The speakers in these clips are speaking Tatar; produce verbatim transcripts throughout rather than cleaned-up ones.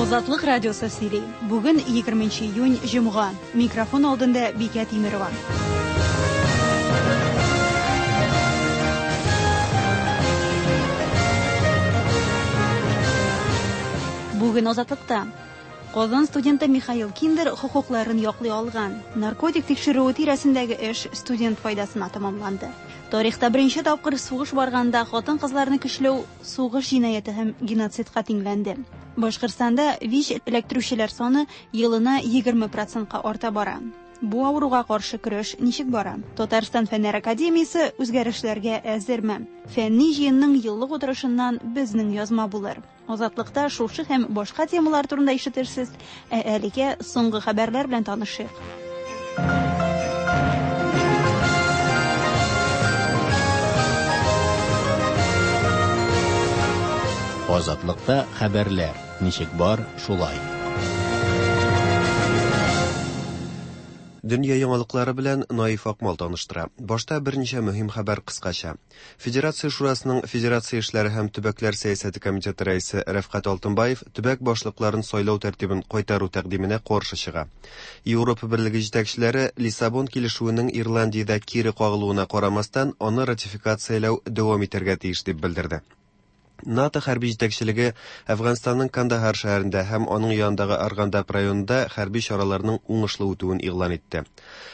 Азатлык радиосы сөйли. Бүген егерменче июнь, җомга. Микрофон алдында Бикә Тимерова. Бүген Азатлыкта Казан студенты Михаил Киндер хокукларын яклый алган. Наркотик тикшерүе тирәсендәге эш студент файдасына тәмамланды. Тарихта беренче тапкыр сугыш барганда хатын-кызларны көчләү сугыш җинаяте һәм геноцидка тиңләнде. Башкортстанда ВИЧ эләктерүчеләр саны елына егерме процентка арта бара. Бу авыруга каршы көрәш ничек бара? Татарстан Фәннәр академиясе үзгәрешләргә әзерме? Фәнни җыенның еллык утырышыннан безнең язма булыр. Азатлыкта шушы һәм башка темалар турында ишетерсез, ә әлегә соңгы хәбәрләр белән танышыйк. Азатлыкта хәбәрләр ничек бар, шулай. Дөнья яңалыклары белән Наиф Акмал таныштыра. Башта берничә мөһим хәбәр кыскача. Федерация Шурасының Федерация эшләре һәм төбәкләр сәясәте комитеты рәисе Рәфкать Алтынбаев төбәк башлыкларын сайлау тәртибен кайтару тәкъдименә каршы чыга. Европа Берлеге җитәкчеләре Лиссабон килешүенең Ирландиядә кире кагылуына карамастан, аны ратификацияләү дәвам итәргә тиеш дип белдерде. НАТО хәрби җитәкчелеге Әфганстанның Кандахар шәһәрендә һәм аның янындагы Аргандап районында хәрби чараларның уңышлы үтүен игълан итте.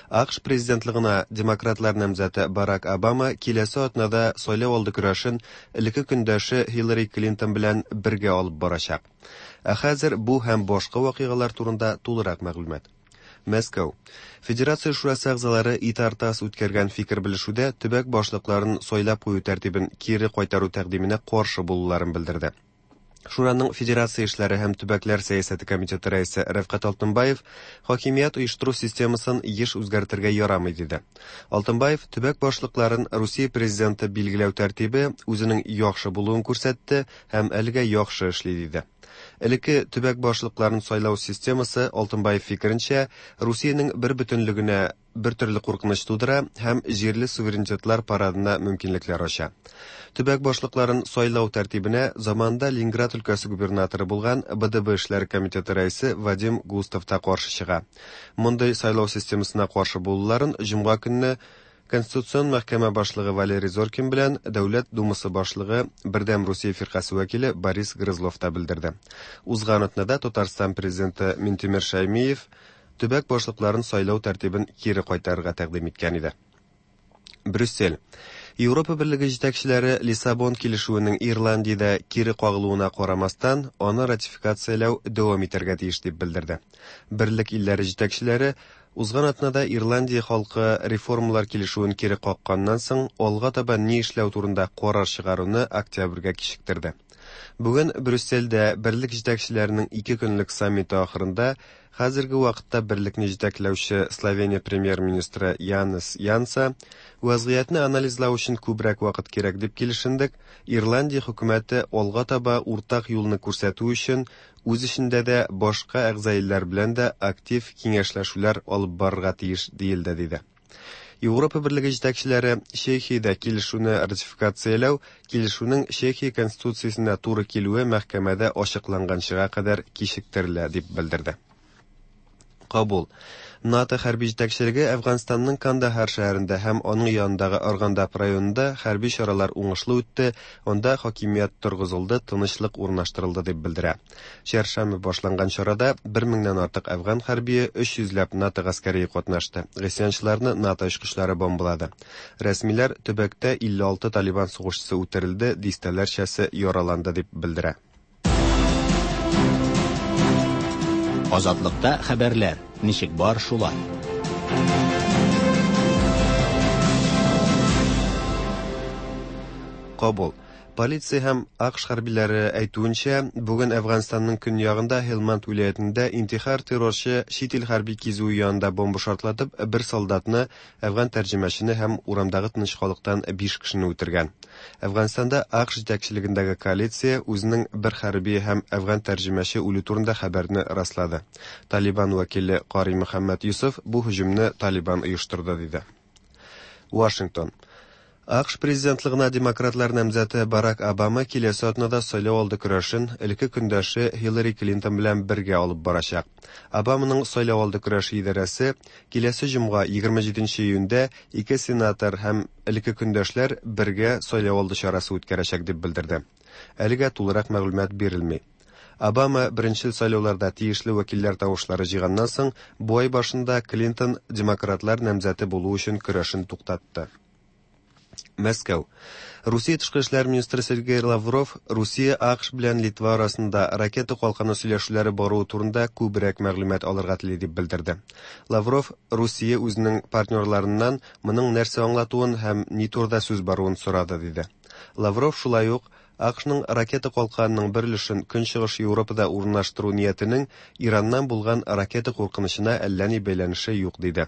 АКШ президентлыгына демократлар намзәте Барак Обама киләсе атнада сайлау алды көрәшен элекке көндәше Хиллари Клинтон белән бергә алып барачак. Ә хәзер бу һәм башка вакыйгалар турында тулырак мәгълүмат. Мәскәү. Федерация Шурасы әгъзалары ИТАР-ТАСС үткәргән фикер белешүдә төбәк башлыкларын сайлап кую тәртибен кире кайтару тәкъдименә каршы булуларын белдерде. Шураның Федерация эшләре һәм төбәкләр сәясәте комитеты рәисе Рәфкать Алтынбаев хакимият оештыру системасын еш үзгәртергә ярамый диде. Алтынбаев төбәк башлыкларын Русия президенты билгеләү тәртибе үзенең яхшы булуын күрсәтте һәм әлегә яхшы эшли диде. Элекке төбәк башлыкларын сайлау системасы Алтынбаев фикеренчә Русиянең бер бөтенлегенә бер төрле куркыныч тудыра һәм җирле суверенитетлар парадына мөмкинлекләр ача. Төбәк башлыкларын сайлау тәртибенә заманында Ленинград өлкәсе губернаторы булган Б Д Б эшләре комитеты рәисе Вадим Густав та каршы чыга. Мондый сайлау системасына каршы булуларын җомга көнне Конституцион мәхкәмә башлыгы Валерий Зоркин белән Дәүләт Думасы башлыгы Бердәм Русия фиркасе вәкиле Борис Грызлов та белдерде. Узган атнада Татарстан президенты Минтимер Шаймиев төбәк башлыкларын сайлау тәртибен кире кайтарырга тәкъдим иткән иде. Брюссель. Европа Берлеге җитәкчеләре Лиссабон килешүенең Ирландиядә кире кагылуына карамастан, аны ратификацияләү дәвам итәргә тиеш дип белдерде. Берлек илләре җитәкчеләре узган атнада Ирландия халкы реформалар килешүен кире какканнан соң алга таба ни эшләү турында карар чыгаруны октябрьгә кичектерде. Бүген Брюссельдә берлек җитәкчеләренең ике көнлек саммиты ахырында хәзерге вакытта берлекне җитәкләүче Словения премьер-министры Янес Янса вазгыятьне анализлау өчен күбрәк вакыт кирәк дип килешендек. Ирландия хөкүмәте алга таба уртак юлны күрсәтү өчен үз эчендә дә башка әгъза илләр белән дә актив киңәшләшүләр алып барырга тиеш диелде диде. Европа Берлеге җитәкчеләре Чехиядә килешүне ратификацияләү килешүнең Чехия конституциясенә туры килүе мәхкәмәдә ачыкланганчыга кадәр кичектерелә дип белдерде. Кабул. НАТО хәрби җитәкчелеге Әфганстанның Кандахар шәһәрендә һәм аның янындагы Аргандап районында хәрби чаралар уңышлы үтте, анда хакимият торгызылды, тынычлык урнаштырылды дип белдерә. Чәршәмбе башланган чарада бер меңнән артык әфган хәрбие, өч йөзләп НАТО гаскәре катнашты. Гыйсьянчыларны НАТО очкычлары бомбалады. Рәсмиләр төбәктә илле алты Талибан сугышчысы үтерелде, дистәләрчәсе яраланды дип белдерә. Азатлыкта хәбәрләр ничек бар, шулай. Кабул. Полиция һәм АКШ хәрбиләре әйтүенчә, бүген Әфганстанның көньягында Һелманд вилаятендә интихар террорчы чит ил хәрби кизүе янында бомба шартлатып, бер солдатны, әфган тәрҗемәчене һәм урамдагы тыныч халыктан биш кешене үтергән. Әфганстанда АКШ җитәкчелегендәге коалиция үзенең бер хәрби һәм әфган тәрҗемәче үлү турында хәбәрне раслады. Талибан вәкиле Кари Мөхәммәд Юсуф бу һөҗүмне Талибан оештырды диде. Вашингтон. А К Ш президентлыгына демократлар намзәте Барак Обама киләсе атнада сайлау алды көрәшен элекке көндәше Хиллари Клинтон белән бергә алып барачак. Обаманың сайлау алды көрәше идарәсе киләсе җомга, егерме җиденче июньдә, ике сенатор һәм элекке көндәшләр бергә сайлау алды чарасы үткәрәчәк дип белдерде. Әлегә тулырак мәгълүмат бирелми. Обама беренчел сайлауларда тиешле вәкилләр тавышлары җыйганнан соң, бу ай башында Клинтон демократлар намзәте булу өчен көрәшен туктатты. Мәскәү. Русия тышкы эшләр министры Сергей Лавров Русия, А К Ш белән Литва арасында ракета калканы сөйләшүләре баруы турында күбрәк мәгълүмат алырга тели дип белдерде. Лавров Русия үзенең партнерларыннан моның нәрсә аңлатуын һәм ни турыда сүз баруын сорады диде. Лавров шулай ук А К Шның ракета калканының бер өлешен Көнчыгыш Европада урнаштыру ниятенең Ираннан булган ракета куркынычына әллә ни бәйләнеше юк диде.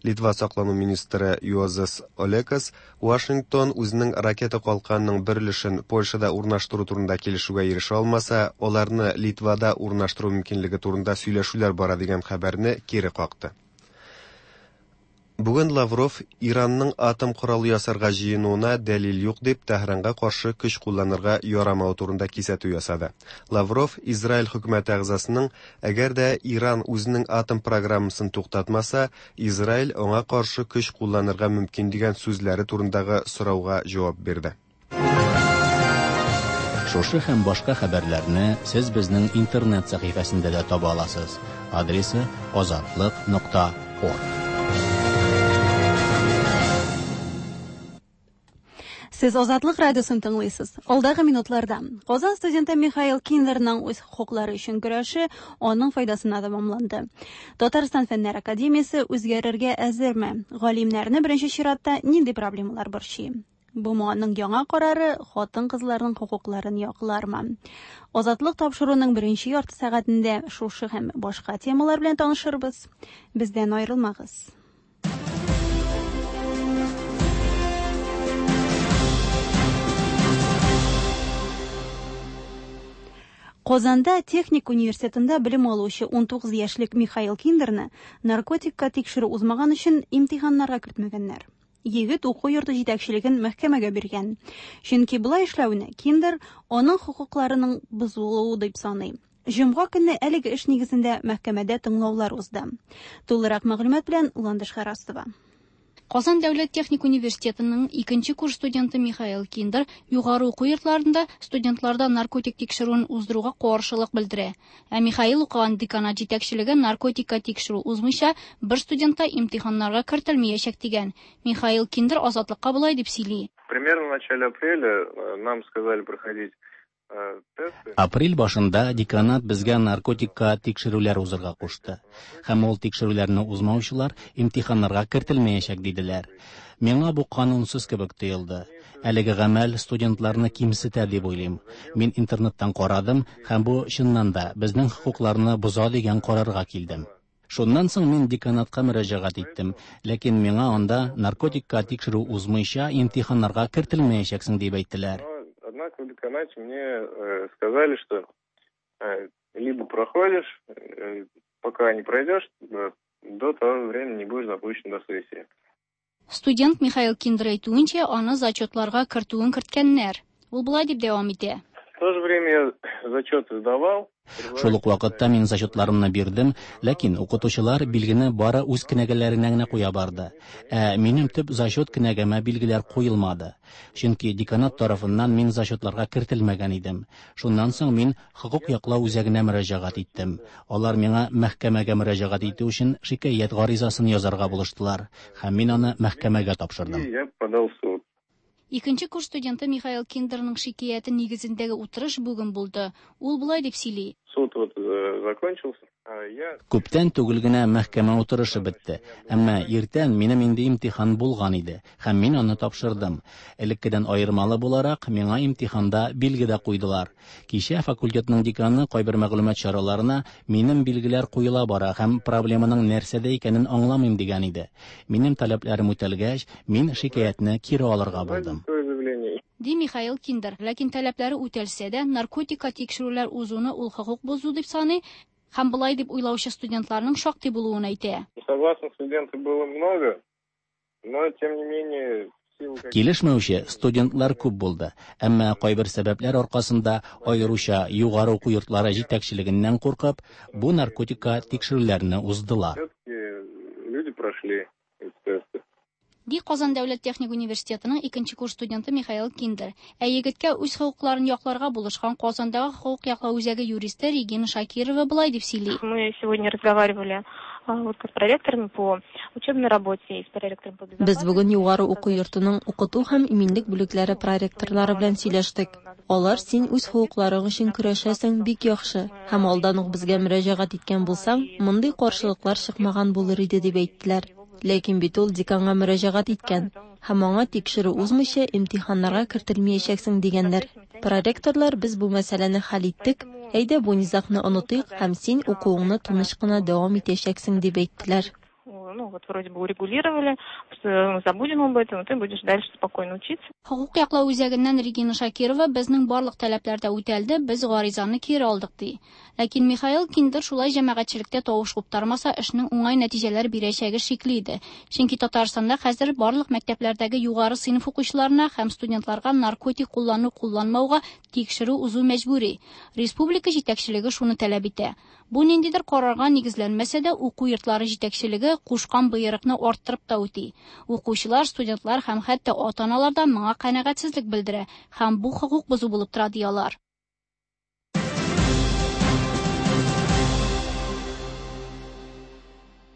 Литва саклану министры Юозас Олекас Вашингтон үзенең ракета калканының бер өлешен Польшада урнаштыру турында килешүгә ирешә алмаса, аларны Литвада урнаштыру мөмкинлеге турында сөйләшүләр бара дигән хәбәрне кире какты. Бүген Лавров Иранның атом коралы ясарга җыенуына дәлил юк дип Тәһранга каршы көч кулланырга ярамавы турында кисәтү ясады. Лавров Израиль хөкүмәте әгъзасының әгәр дә Иран үзенең атом программасын туктатмаса, Израиль аңа каршы көч кулланырга мөмкин дигән сүзләре турындагы сорауга җавап бирде. Шушы һәм башка хәбәрләрне сез безнең интернет сәхифәсендә дә таба аласыз. Адресы: azatliq нокта org. Сез Азатлык радиосын тыңлыйсыз. Алдагы минутларда Казан студенты Михаил Киндерның үз хокуклары өчен көрәше аның файдасына тәмамланды. Татарстан Фәннәр академиясе үзгәрергә әзерме? Галимнәрне беренче чиратта нинди проблемалар борчый? Б М Аның яңа карары хатын-кызларның хокукларын яклармы? Азатлык тапшыруының беренче ярты сәгатендә шушы һәм башка темалар белән танышырбыз. Бездән аерылмагыз. Казанда техник университетында белем алучы унтугыз яшьлек Михаил Киндерны наркотикка тикшерү узмаган өчен имтиханнарга кертмәгәннәр. Егет уку йорты җитәкчелеген мәхкәмәгә биргән. Чөнки болай эшләүне Киндер аның хокукларының бозылуы дип саный. Җомга көнне әлеге эш нигезендә мәхкәмәдә тыңлаулар узды. Тулырак мәгълүмат белән Ландыш Харастова. Казан дәүләт техник университетының икенче курс студенты Михаил Киндер югары уку йортларында студентларда наркотик тикшерүен уздыруга каршылык белдерә. Ә Михаил укыган деканат җитәкчелеге наркотикка тикшерү узмыйча бер студент та имтиханнарга кертелмәячәк дигән. Михаил Киндер Азатлыкка болай дип сөйли. Примерно в начале апреля э, нам сказали проходить э, тесты. Апрель башында деканат безгә наркотикка тикшерүләр узырга кушты. Һәм ул тикшерүләрне узмаучылар имтиханнарга кертелмәячәк диделәр. Миңа бу канунсыз кебек тоелды. Әлеге гамәл студентларны кимсетә дип уйлыйм. Мин интернеттан карадым һәм бу чыннан да безнең хокукларны боза дигән карарга килдем. Шуннан соң мин деканатка мөрәҗәгать иттем, ләкин миңа анда наркотикка тикшерү узмыйча имтиханнарга кертелмәячәксең дип әйттеләр. Но, однако, в деканате мне э, сказали, что э, либо проходишь, э, пока не пройдешь, э, до того времени не будешь допущен до сессии. Студент Михаил Киндер әйтүенчә, аны зачетларга кертүен керткәннәр. Ул болай дип дәвам итә. В то же время я зачеты сдавал. Шул ук вакытта мин зачетларымны бирдем, ләкин укытучылар билгене бары үз кенәгәләренә генә куя барды. Ә минем төп зачет кенәгәмә билгеләр куелмады. Чөнки деканат тарафыннан мин зачетларга кертелмәгән идем. Шуннан соң мин хокук яклау үзәгенә мөрәҗәгать иттем. Алар миңа мәхкәмәгә мөрәҗәгать итү өчен шикаять гаризасын язарга булыштылар һәм мин аны мәхкәмәгә тапшырдым. И я подал в суд. Икенче курс студенты Михаил Киндерның шикаяте нигезендәге утырыш бүген булды. Ул болай дип сөйли. Суд вот э, закончился. А я Күптән түгел генә мәхкәмә утырышы бетте. Әмма иртән минем инде имтихан булган иде һәм мин аны тапшырдым. Элеккедән аермалы буларак, миңа имтиханда билге дә куйдылар. Кичә факультетның деканы кайбер мәгълүмат чараларына минем билгеләр куела бара һәм проблеманың нәрсәдә икәнен аңламыйм дигән иде. Минем таләпләрем үтәлгәч, мин шикаятьне кире алырга булдым. свое заявление. Ди Михаил Киндер. Ләкин таләпләре үтәлсә дә, наркотикка тикшерүләр узуны ул хокук бозу дип саный һәм болай дип уйлаучы студентларның шактый булуын әйтә. Несогласных студентов было много, но тем не менее Килешмәүче студентлар күп булды, әмма кайбер сәбәпләр аркасында, аеруча югары уку йортлары җитәкчелегеннән куркып, бу наркотикка тикшерүләрне уздылар. Люди прошли эти тесты. Ди Казан дәүләт техник университетының икенче курс студенты Михаил Киндер. Ә егеткә үз хокукларын якларга булышкан Казандагы хокук яклау үзәге юристы Регина Шакирова болай дип сөйли. Мы сегодня разговаривали вот с проректорами по учебной работе и с проректором по Без бүген югары уку йортының укыту һәм иминлек бүлекләре проректорлары белән сөйләштек. Алар син үз хокукларың өчен көрәшәсең, бик яхшы. Һәм алдан ук безгә мөрәҗәгать иткән булсаң, мондый каршылыклар чыкмаган булыр иде дип әйттеләр. Ләкин бит ул деканга мөрәҗәгать иткән һәм аңа тикшерү узмыйча имтиханнарга кертелмәячәксең дигәннәр. Проректорлар без бу мәсьәләне хәл иттек, әйдә бу низагны онытыйк һәм син укуыңны тыныч кына дәвам итәчәксең дип әйттеләр. Ну вот вроде бы урегулировали, что забудем об этом, ты будешь дальше спокойно учиться. Хокук яклау үзәгеннән Регина Шакирова безнең барлык таләпләр дә үтәлде, без гаризаны кире алдык ди. Ләкин Михаил Киндер шулай җәмәгатьчелектә тавыш куптармаса, эшнең уңай нәтиҗәләр бирәчәге шикле иде. Чөнки Татарстанда хәзер барлык мәктәпләрдәге югары сыйныф укучыларына һәм студентларга наркотик куллану кулланмауга тикшерү узу мәҗбүри. Республика җитәкчелеге шуны таләп итә. Бу ниндидер карарга нигезләнмәсә дә, уку йортлары җитәкчелеге кушкан боерыкны арттырып та үти. Укучылар, студентлар һәм хәтта ата-аналар да моңа канәгатьсезлек белдерә һәм бу хокук бозу булып тора ди алар.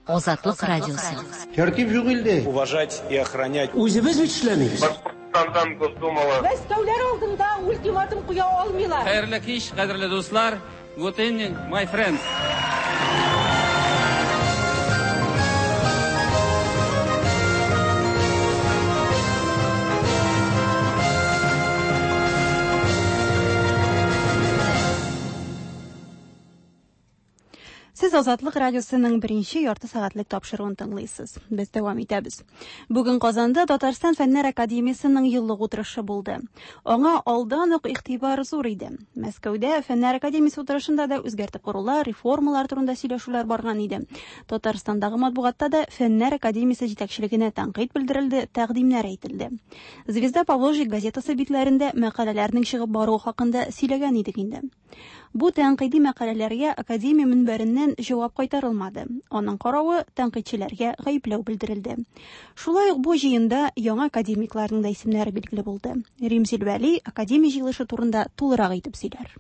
Азатлык радиосы. Тәртип юк илдә. Уважать и охранять. Үзебез бит эшләмибез. Башкортстандан Госдумала. Мәскәүләр алдында ультиматум куя алмыйлар. Хәерле кич, кадерле дуслар. Good evening, my friends. Сез Азатлык радиосының беренче ярты сәгатьлек тапшыруын тыңлыйсыз. Без дәвам итәбез. Бүген Казанда Татарстан Фәннәр академиясының еллык утырышы булды. Аңа алдан ук игътибар зур иде. Мәскәүдә Фәннәр академиясе утырышында да үзгәртеп корулар, реформалар турында сөйләшүләр барган иде. Татарстандагы матбугатта да Фәннәр академиясе җитәкчелегенә тәнкыйть белдерелде, тәкъдимнәр әйтелде. Звезда Поволжья газетасы битләрендә мәкаләләрнең чыгып баруы хакында сөйләгән идек инде. Бу тәнкыйди мәкаләләргә академия мөнбәреннән җавап кайтарылмады. Аның каравы тәнкыйтьчеләргә гаепләү белдерелде. Шулай ук бу җыенда яңа академикларның да исемнәре билгеле булды. Римзил Вәли академия җыелышы турында тулырак итеп сөйләр.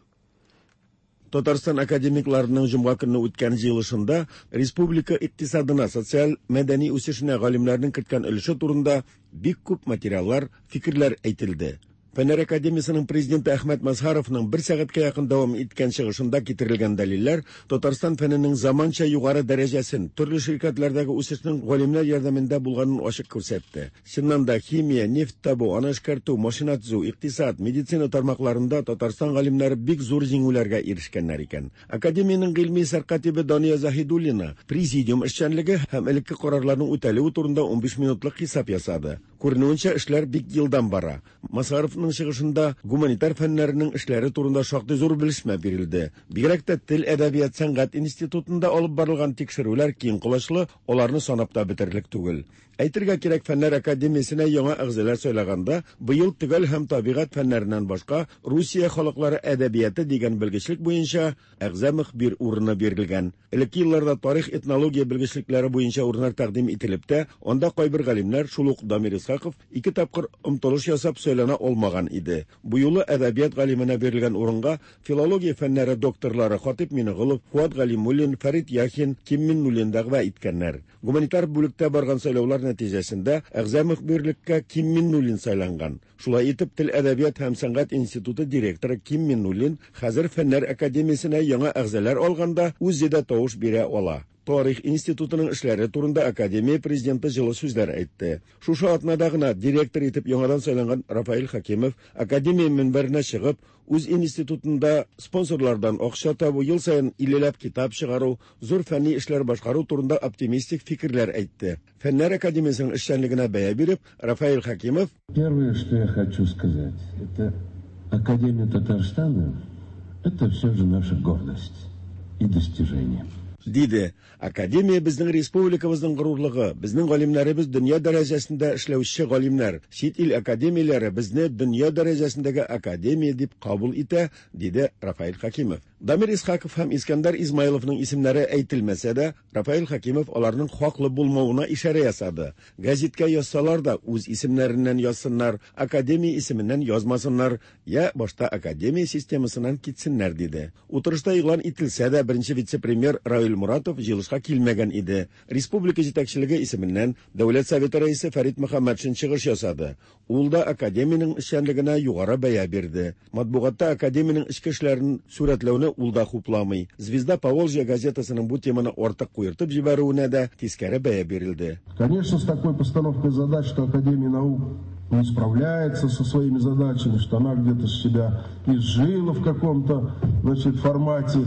Татарстан академикларының җомга көнне үткән җыелышында республика икътисадына, социаль мәдәни үсешенә галимнәрнең керткән өлеше турында бик күп материаллар, фикерләр әйтелде. Фәннәр академиясының президенты Әхмәт Мазһаровның бер сәгатькә якын дәвам иткән чыгышында китерелгән дәлилләр Татарстан фәненең заманча югары дәрәҗәсен, төрле ширкәтләрдәге үсешнең галимнәр ярдәмендә булганын ачык күрсәтте. Чыннан да химия, нефть табу, аны эшкәртү, машина төзү, икътисад, медицина тармакларында Татарстан галимнәре бик зур җиңүләргә ирешкәннәр икән. Академиянең гыйльми сәркатибе Дания Заһидуллина президиум эшчәнлеге һәм элекке карарларның үтәлүе турында унбиш минутлык хисап ясады. Күренүенчә, эшләр бик елдан бара. Мазһаровның чыгышында гуманитар фәннәренең эшләре турында шактый зур белешмә бирелде. Бигрәк тә тел, әдәбият, сәнгать институтында алып барылган тикшерүләр киң колачлы, аларны санап та бетерерлек түгел. Әйтергә кирәк, Фәннәр академиясенә яңа әгъзалар сайлаганда, быел төгәл һәм табигать фәннәреннән башка Русия халыклары әдәбияты дигән белгечлек буенча әгъза мөхбир урыны бирелгән. Элекке елларда тарих, этнология белгечлекләре буенча урыннар тәкъдим ителеп тә, анда кайбер галимнәр, шул ук Дамир Исхаков, ике тапкыр омтылыш ясап сайлана алмаган иде. Бу юлы әдәбият галименә бирелгән урынга филология фәннәре докторлары Хатип Минеголов, Фуат Галимуллин, Фәрит Яхин, Ким Миннуллин дәгъва иткәннәр. Гуманитар бүлектә барган сайлаулар нәтиҗәсендә әгъза мөхбирлеккә Ким Миннуллин сайланган. Шулай итеп, Тел, әдәбият һәм сәнгать институты директоры Ким Миннуллин хәзер Фәннәр академиясенә яңа әгъзалар алганда үзе дә тавыш бирә ала. Тарих институтының эшләре турында академия президенты җылы сүзләр әйтте. Шушы атнада гына директор итеп яңадан сайланган Рафаэль Хакимов академия мөнбәренә чыгып, үз институтында спонсорлардан акча табу, ел саен иллеләп китап чыгару, зур фәнни эшләр башкару турында оптимистик фикерләр әйтте. Фәннәр академиясенең эшчәнлегенә бәя биреп, Рафаэль Хакимов: Первое, что я хочу сказать, это Академия Татарстана, это все же наша гордость и достижение. Диде. Академия безнең республикабызның горурлыгы, безнең галимнәребез дөнья дәрәҗәсендә эшләүче галимнәр. Чит ил академияләре безне дөнья дәрәҗәсендәге академия дип кабул итә, диде Рафаэль Хакимов. Дамир Исхаков һәм Искәндәр Измайловның исемнәре әйтелмәсә дә, Рафаэль Хакимов аларның хаклы булмавына ишарә ясады. Гәзиткә язсалар да үз исемнәреннән язсыннар, академия исеменнән язмасыннар, я башта академия системасыннан китсеннәр, диде. Утырышта игълан ителсә дә, беренче вице-премьер Равил Муратов җыелышка килмәгән иде. Республика җитәкчелеге исеменнән Дәүләт Советы рәисе Фәрит Мөхәммәтшин чыгыш ясады. Ул да академиянең эшчәнлегенә югары бәя бирде. Матбугатта академиянең эчке эшләрен сурәтләүне ул да хупламый. Звезда Поволжья газетасының бу теманы артык куертып җибәрүенә дә тискәре бәя бирелде. Конечно, с такой постановкой задач, что Академия наук не справляется со своими задачами, что она где-то себя изжила в каком-то, значит, формате.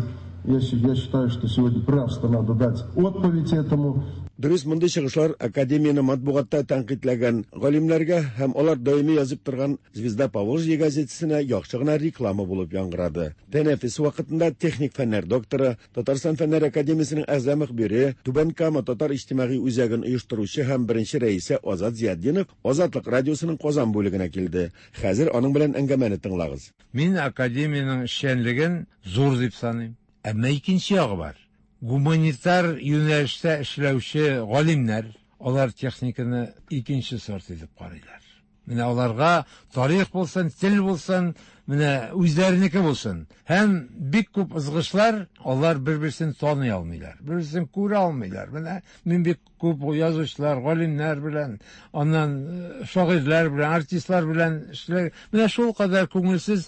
Я, я считаю, что сегодня просто надо дать отповедь этому. Дөрес, мондый чыгышлар академияне матбугатта тәнкыйтьләгән галимнәргә һәм алар даими язып торган Звезда Поволжья газетасына яхшы гына реклама булып яңгырады. Тәнәфес вакытында техник фәннәр докторы, Татарстан Фәннәр академиясенең әгъза мөхбире, Түбән Кама татар иҗтимагый үзәген оештыручы һәм беренче рәисе Азат Зиятдинов Азатлык радиосының Казан бүлегенә килде. Хәзер аның белән әңгәмәне тыңлагыз. Мин академиянең эшчәнлеген зур дип саныйм. Әмма икенче ягы бар. Гуманитар юнәлештә эшләүче галимнәр, алар техниканы икенче сорт итеп карыйлар. Менә аларга тарих булсын, тел булсын, менә үзләренеке булсын. Һәм бик күп ызгышлар, алар бер-берсен таный алмыйлар, бер-берсен күрә алмыйлар. Менә мин бик күп язучылар, галимнәр белән, аннан шагыйрьләр белән, артистлар белән эшләр. Менә шул кадәр күңелсез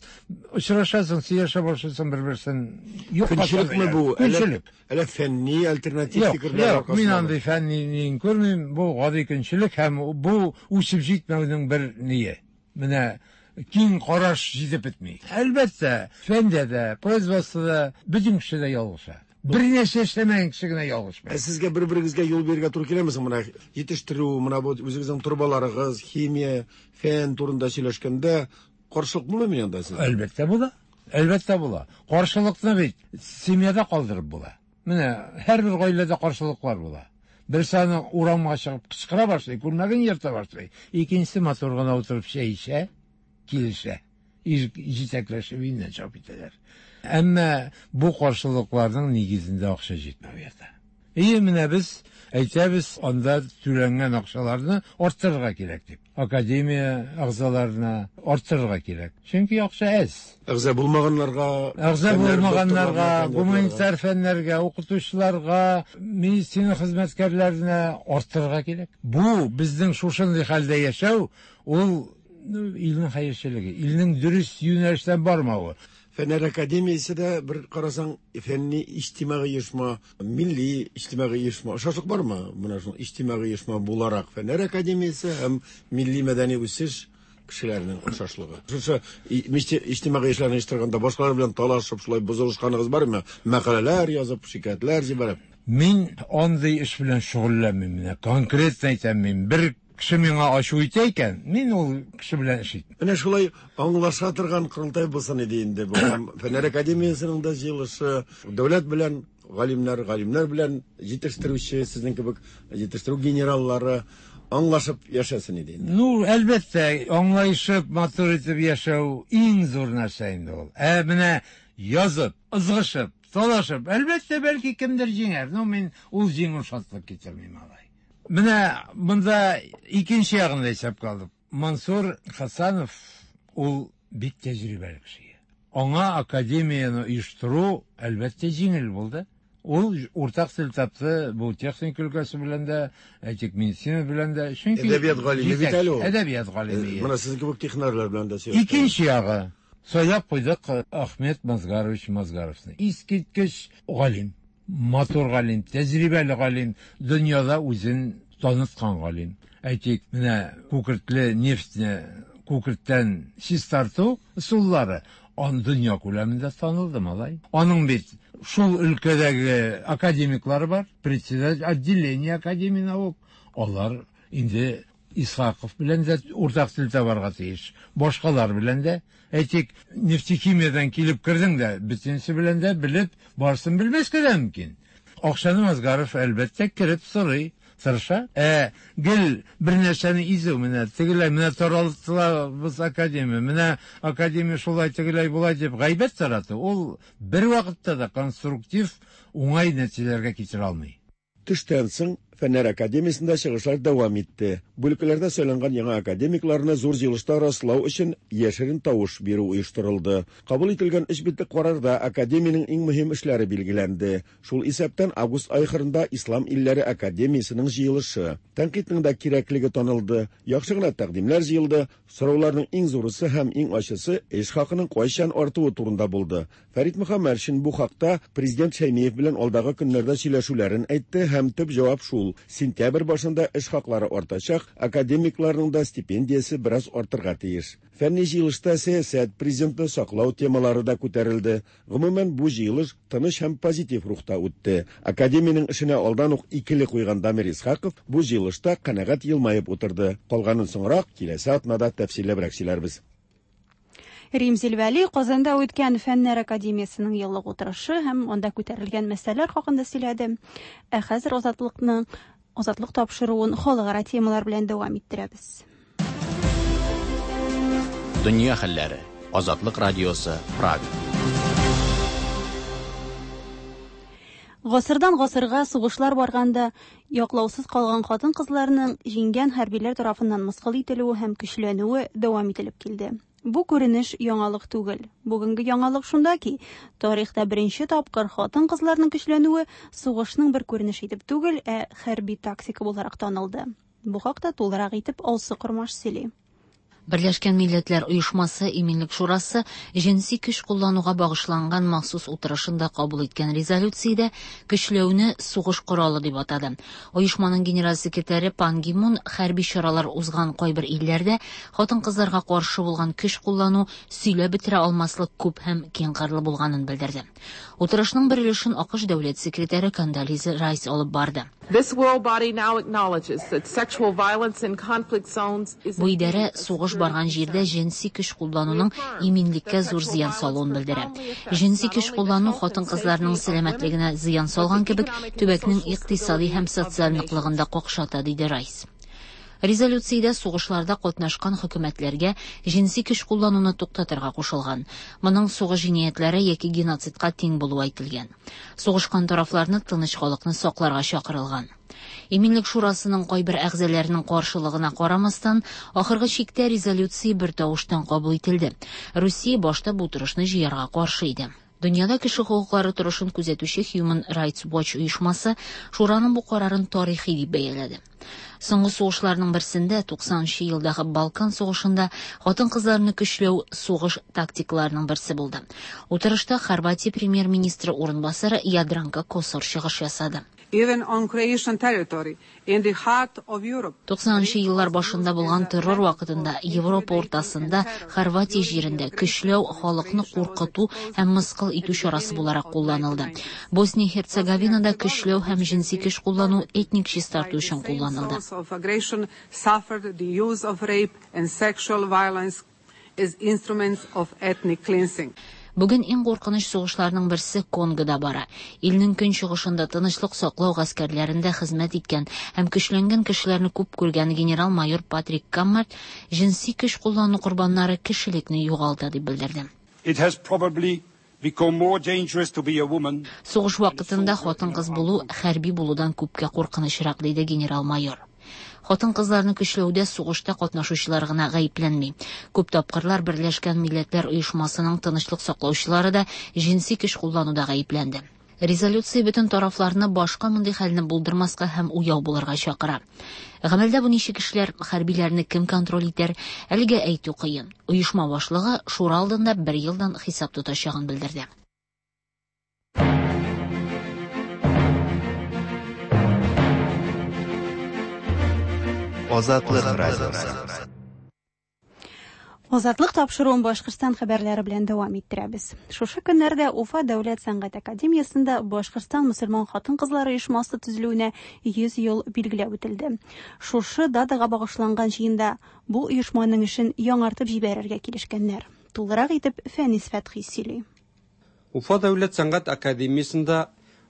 очрашасың, сөйләшә башлыйсың бер-берсен. Көнчелекме бу? Көнчелек. Әллә фәнни альтернатив фикерләр аркасында? Мин андый фәнни күрмим. Бу гади көнчелек һәм бу үсеп җитмәүнең бер ние. Менә киң караш җитеп бетми. Әлбәттә, фәндә дә, производствода бөтен кеше дә ялгыша. Бер нәрсә эшләмәгән кеше генә ялгышмый. Ә сезгә бер-берегезгә юл бирергә туры киләме соң? Менә җитештерү, менә бу үзегезнең торбаларыгыз, химия, фән турында сөйләшкәндә каршылык булмыймы анда сезгә? Әлбәттә була. Әлбәттә була. Каршылыкны бит семьяда калдырып була. Менә һәрбер гаиләдә каршылыклар була. Берсе аны урамга чыгып кычкыра башлый, күлмәген ерта башлый. Икенчесе матур гына утырып чәй эчә, килешә. Җитәкләшеп өеннән чыгып китәләр. Әмма бу каршылыкларның нигезендә акча җитмәү ята. Ие, менә без әйтәбез, анда түләнгән акчаларны арттырырга кирәк дип. Академия әгъзаларына арттырырга кирәк. Чөнки акча әз. Әгъза булмаганнарга, әгъза булмаганнарга, гуманитар фәннәргә, укытучыларга, медицина хезмәткәрләренә арттырырга кирәк. Бу безнең шушындый хәлдә яшәү, ул илнең хәерчелеге, илнең дөрес юнәлештән бармавы. Фәннәр академиясе дә бер карасаң фәнни иҗтимагый оешма, милли иҗтимагый оешма. Охшашлык бармы? Менә шул иҗтимагый оешма буларак Фәннәр академиясе һәм милли мәдәни үсеш кешеләренең охшашлыгы. Шушы иҗтимагый эшләрне оештырганда башкалар белән талашып, шулай бозылышканыгыз бармы? Мәкаләләр язып, шикаятьләр җибәреп. Мин андый эш белән шөгыльләнмим. Менә конкретно әйтәм, мин бер кеше миңа ачу итә икән, мин ул кеше белән эш итмим. Менә шулай аңлаша торган корылтай булсын иде инде бу. Һәм Фәннәр академиясенең дә җыелышы, дәүләт белән галимнәр, галимнәр белән җитештерүче, сезнең кебек җитештерү генераллары аңлашып яшәсен иде инде. Ну, әлбәттә, аңлашып, матур итеп яшәү иң зур нәрсә инде ул. Ә менә язып, ызгышып, талашып, әлбәттә, бәлки кемдер җиңәр. Ну, мин ул җиңү шатлык китермим алай. Менә монда икенче ягын да исәпкә алдык. Мансур Хасанов ул бик тәҗрибәле кеше. Аңа академияне оештыру әлбәттә җиңел булды. Ул уртак тел тапты бу техника өлкәсе белән дә, әйтик, медицина белән дә. Чөнки әдәбият галиме бит әле ул. Әдәбият галиме. Менә сезнең кебек технарлар белән дә сөйләште. Икенче ягы сайлап куйдык Ахмед Мазгарович Мазгаровны. Искиткеч галим, матур галим, тәҗрибәле галим, дөньяда үзен таныткан галим. Әйтик, менә күкертле нефтьне күкерттән чистарту ысуллары ан дөнья күләмендә танылды, малай. Аның бит шул өлкәдәге академиклары бар, председатель отделения академии наук. Алар инде Исхаков белән дә уртак тел табарга тиеш. Башкалар белән дә. Әйтик, нефтехимиядан килеп кердең дә, бөтенесе белән дә белеп, барысын белмәскә дә мөмкин. Акчаны Мазгаров әлбәттә кереп сорый, тырыша. Ә гел бер нәрсәне изү, менә тегеләй, менә таралтылабыз академия, менә академия шулай тегеләй болай дип гайбәт тарату, ул бер вакытта да конструктив уңай нәтиҗәләргә китерә алмый. Төштән соң Фәннәр академиясендә чыгышлар дәвам итте. Бүлекләрдә сайланган яңа академикларны зур җыелышта раслау өчен яшерен тавыш бирү оештырылды. Кабул ителгән өч битлек карарда академиянең иң мөһим эшләре билгеләнде. Шул исәптән август ахырында Ислам илләре академиясенең җыелышы. Тәнкыйтьнең дә кирәклеге танылды. Яхшы гына тәкъдимнәр җыелды. Сорауларның иң зурысы һәм иң ачысы эш хакының кайчан артуы турында булды. Фәрит Мөхәммәтшин бу хакта президент Шәймиев белән алдагы көннәрдә сөйләшүләрен әйтте һәм төп җавап шул: сентябрь башында эш хаклары артачак, академикларның да стипендиясе бераз артырга тиеш. Фәнни җыелышта сәясәт, президентны саклау темалары да күтәрелде. Гомумән, бу җыелыш тыныч һәм позитив рухта үтте. Академиянең эшенә алдан ук икеле куйган Дамир Исхаков бу җыелышта канәгать елмаеп утырды. Калганын соңрак киләсе атнада тәфсилләбрәк сөйләрбез. Римзил Вәли Казанда үткән Фәннәр академиясенең еллык утырышы һәм анда күтәрелгән мәсьәләләр хакында сөйләде. Ә хәзер Азатлыкның Азатлык тапшыруын халыкара темалар белән дәвам иттерәбез. Дөнья хәлләре. Азатлык радиосы, Прага. Гасырдан гасырга сугышлар барганда яклаусыз калган хатын-кызларның җиңгән хәрбиләр тарафыннан мыскыл ителүе һәм көчләнүе дәвам ителеп килде. Бу күренеш яңалык түгел. Бүгенге яңалык шунда ки, тарихта беренче тапкыр хатын-кызларның көчләнүе сугышның бер күренеше итеп түгел, ә хәрби тактика буларак танылды. Бу хакта тулырак итеп Алсу Кормаш сөйли. Берләшкән Милләтләр Оешмасы Иминлек Шурасы җенси көч куллануга багышланган махсус утырышында кабул иткән резолюциядә көчләүне сугыш коралы дип атады. Оешманың генераль секретаре Пан Ги Мун хәрби чаралар узган кайбер илләрдә хатын-кызларга каршы булган көч куллану сөйләп бетерә алмаслык күп һәм киңкырлы булганын белдерде. Утырышның бер өлешен АКШ дәүләт секретаре Кондолиза Райс алып барды. This world body now acknowledges that sexual violence in conflict zones is Бу идарә сугыш барган җирдә җенси көч куллануның иминлеккә зур зыян салуын белдерә. Җенси көч куллану хатын-кызларның сәламәтлегенә зыян салган кебек, төбәкнең икътисади һәм социаль ныклыгын да какшата, диде Райс. Резолюциядә сугышларда катнашкан хөкүмәтләргә җенси көч куллануны туктатырга кушылган. Моның сугыш җинаятьләре яки геноцидка тиң булуы әйтелгән. Сугышкан тарафларны тыныч халыкны сакларга чакырылган. Иминлек Шурасының кайбер әгъзаларының каршылыгына карамастан, ахыргы чиктә резолюция бер тавыштан кабул ителде. Русия башта бу торышны җыярга каршы иде. Дөньяда кеше хокуклары торышын күзәтүче Human Rights Watch оешмасы шураның бу карарын тарихи дип бәяләде. Соңгы сугышларның берсендә, туксанынчы елдагы Балкан сугышында хатын-кызларны көчләү сугыш тактикаларының берсе булды. Утырышта Хорватия премьер-министры урынбасары Ядранка Косор чыгыш ясады. Even on Croatian territory, in the heart of Europe. туксанынчы еллар башында булган террор вакытында Европа уртасында Хорватия җирендә көчләү халыкны куркыту һәм мыскыл итү чарасы буларак кулланылды. Босния-Херцеговинада көчләү һәм җенси көч куллану этник чистарту өчен кулланылды. Of aggression suffered the use of rape and sexual violence as instruments of ethnic cleansing. Бүген иң куркыныч сугышларның берсе Конгода бара. Илнең көнчыгышында тынычлык саклау гаскәрләрендә хезмәт иткән һәм көчләнгән кешеләрне күп күргән генерал-майор Патрик Каммарт җенси көч куллану корбаннары кешелекне югалта дип белдерде. It has probably become more dangerous to be a woman. Сугыш вакытында хатын-кыз булу хәрби булудан күпкә куркынычрак, диде генерал-майор. Хатын-кызларны көчләүдә сугышта катнашучылар гына гаепләнми. Күп тапкырлар Берләшкән Милләтләр Оешмасының тынычлык саклаучылары да җенси көч куллануда гаепләнде. Резолюция бөтен тарафларны башка мондый хәлне булдырмаска һәм уяу булырга чакыра. Гамәлдә бу ничек эшләр, хәрбиләрне кем контроль итәр, әлегә әйтү кыен. Оешма башлыгы шура алдында бер елдан хисап тотачагын белдерде. Азатлык радиосы. Азатлык тапшыруын Башкортстан хәбәрләре белән дәвам иттерәбез. Шушы көннәрдә Уфа дәүләт сәнгать академиясендә Башкортстан мөселман хатын-кызлары оешмасы төзелүенә йөз ел билгеләп үтелде. Шушы датага багышланган җыенда бу оешманың эшен яңартып җибәрергә килешкәннәр. Тулырак итеп Фәнис Фәтхи сөйли. Уфа дәүләт сәнгать академиясендә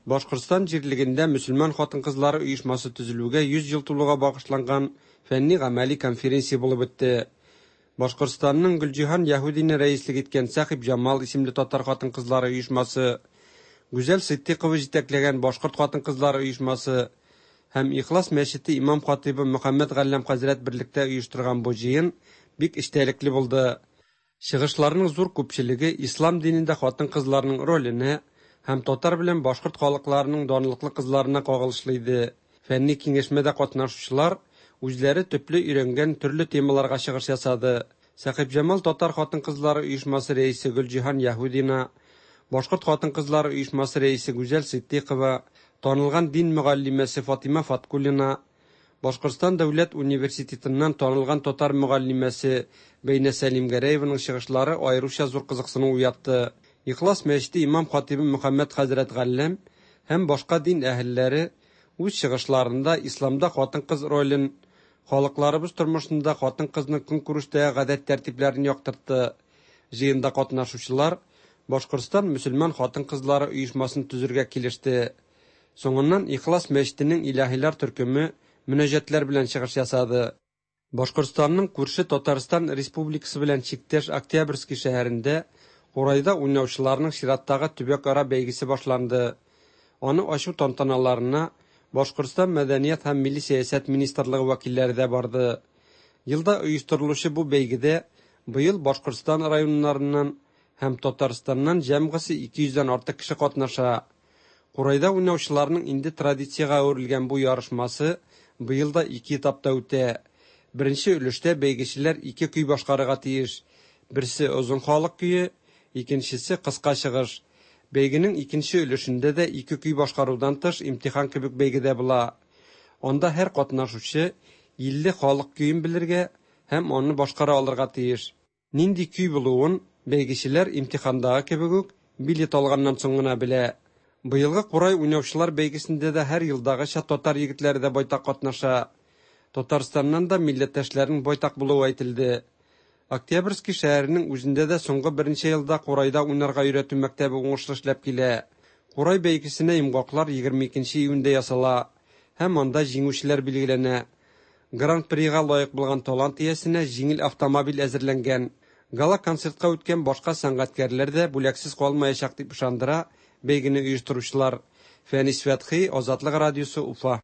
Башкортстан җирлегендә мөселман хатын-кызлары оешмасы төзелүгә йөз ел тулуга багышланган фәнни-гамәли конференция булып үтте. Башкортстанның Гөлҗиһан Яһүдина рәислек иткән Сәхибҗамал исемле татар хатын-кызлары оешмасы, Гүзәл Ситдикова җитәкләгән Башкорт хатын-кызлары оешмасы һәм Ихлас мәчете имам хатыйбы Мөхәммәд Галләм хәзрәт берлектә оештырган бу җыен бик эчтәлекле булды. Чыгышларның зур күпчелеге ислам динендә хатын-кызларның роленә һәм татар белән башкорт халыкларының данлыклы кызларына кагылышлы иде. Фәнни киңәшмәдә катнашучылар үзләре төпле өйрәнгән төрле темаларга чыгыш ясады. Сәхибҗамал татар хатын-кызлары оешмасы рәисе Гөлҗиһан Яһүдина, Башкорт хатын-кызлары оешмасы рәисе Гүзәл Ситдикова, танылган дин мөгаллимәсе Фатима Фаткуллина, Башкортстан дәүләт университетыннан танылган татар мөгаллимәсе Бәйнә Сәлимгәрәеваның чыгышлары аеруча зур кызыксыну уятты. Ихлас мәчете имам хатибы Мөхәммәд хәзрәт Галләм һәм башка дин әһелләре үз чыгышларында исламда хатын-кыз ролен, халыкларыбыз тормышында хатын-кызның көнкүрештәге гадәт тәртипләрен яктыртты. Җыенда катнашучылар Башкортстан мөселман хатын-кызлары оешмасын төзергә килеште. Соңыннан Ихлас мәчетенең илаһилар төркеме мөнәҗәтләр белән чыгыш ясады. Башкортстанның күрше Татарстан Республикасы белән чиктәш Октябрьский шәһәрендә Курайда уйнаучыларның чираттагы төбәкара бәйгесе башланды. Аны ачу тантаналарына Башкортстан Мәдәният һәм милли сәясәт министрлыгы вәкилләре дә барды. Елда оештырылучы бу бәйгедә быел Башкортстан районнарыннан һәм Татарстаннан җәмгысе ике йөздән артык кеше катнаша. Курайда уйнаучыларның инде традициягә әверелгән бу ярышмасы быел да ике этапта үтә. Беренче өлештә бәйгечеләр ике көй башкарырга тиеш. Берсе озын халык көе, икенчесе кыска чыгыш. Бәйгенең икенче өлешендә дә ике көй башкарудан тыш имтихан кебек бәйгедә була. Анда һәр катнашучы илле халык көен белергә һәм аны башкара алырга тиеш. Нинди көй булуын бәйгечеләр имтихандагы кебек үк билет алганнан соң гына белә. Быелгы Курай уйнаучылар бәйгесендә дә һәр елдагыча татар егетләре дә байтак катнаша. Татарстаннан да милләттәшләрнең байтак булуы әйтелде. Октябрьский шәһәренең үзендә дә соңгы берничә елда Курайда уйнарга өйрәтү мәктәбе уңышлы эшләп килә. Курай бәйгесенә йомгаклар егерме икенче июньдә ясала һәм анда җиңүчеләр билгеләнә. Гран-прига лаек булган талант иясенә җиңел автомобиль әзерләнгән. Гала-концертка үткән башка сәнгатькәрләр дә бүләксез калмаячак дип ышандыра бәйгене оештыручылар. Фәнис Фәтхи, Азатлык радиосы, Уфа.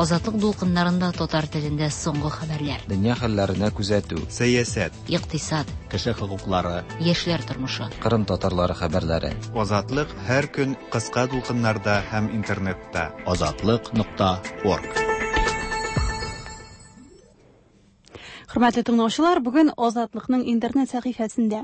Азатлык дулкыннарында татар телендә соңгы хәбәрләр. Дөнья хәлләренә күзәтү. Сәясәт. Икътисад. Кеше хокуклары. Яшьләр тормышы. Кырым татарлары хәбәрләре. Азатлык һәр көн кыска дулкыннарда һәм интернетта. Азатлык нокта орг. Хөрмәтле тыңлаучылар, бүген Азатлыкның интернет сәхифәсендә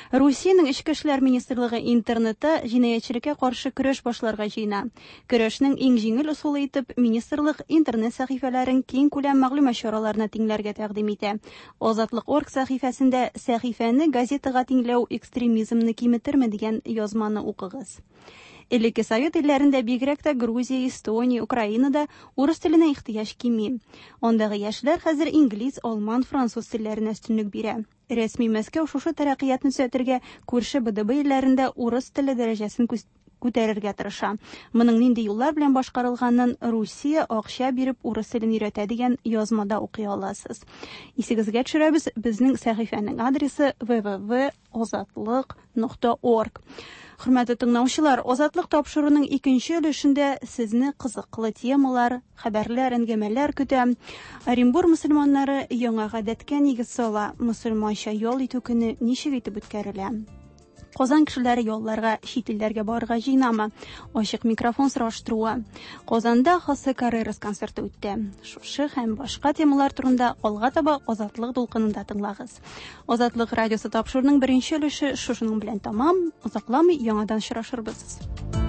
Русиянең Эчке эшләр министрлыгы интернетта җинаятьчелеккә каршы көрәш башларга җыена. Көрәшнең иң җиңел ысулы итеп министрлык интернет сәхифәләрен киң күләм мәгълүмат чараларына тиңләргә тәкъдим итә. Азатлык.орг сәхифәсендә сәхифәне газетага тиңләү экстремизмны киметерме дигән язманы укыгыз. Элекке Совет илләрендә, бигрәк тә Грузия, Эстония, Украинада урыс теленә ихтыяҗ кими. Андагы яшьләр хәзер инглиз, алман, француз телләренә өстенлек бирә. Рәсми Мәскәү шушы тәрәккыятны төзәтергә күрше Б Д Б илләрендә урыс теле дәрәҗәсен күтәрергә тырыша. Моның нинди юллар белән башкарылганын Русия акча биреп урыс телен өйрәтә дигән язмада укый аласыз. Исегезгә төшерәбез, безнең сәхифәнең адресы w w w озатлык нокта орг. Хөрмәтле тыңлаучылар, Азатлык тапшыруының икенче өлешендә сезне кызыклы темалар, хәбәрләр, әңгәмәләр көтә. Оренбур мөселманнары яңа гадәткә нигез сала, мөселманча ял итү көне ничек итеп үткәрелә? Казан кешеләре ялларга, чит илләргә барырга җыенамы? Ачык микрофон сораштыруы. Казанда Хосе Каррерас концерты үтте. Шушы һәм башка темалар турында алга таба Азатлык дулкынында тыңлагыз. Азатлык радиосы тапшыруының беренче өлеше шушының белән тамам. Озакламый яңадан очрашырбыз.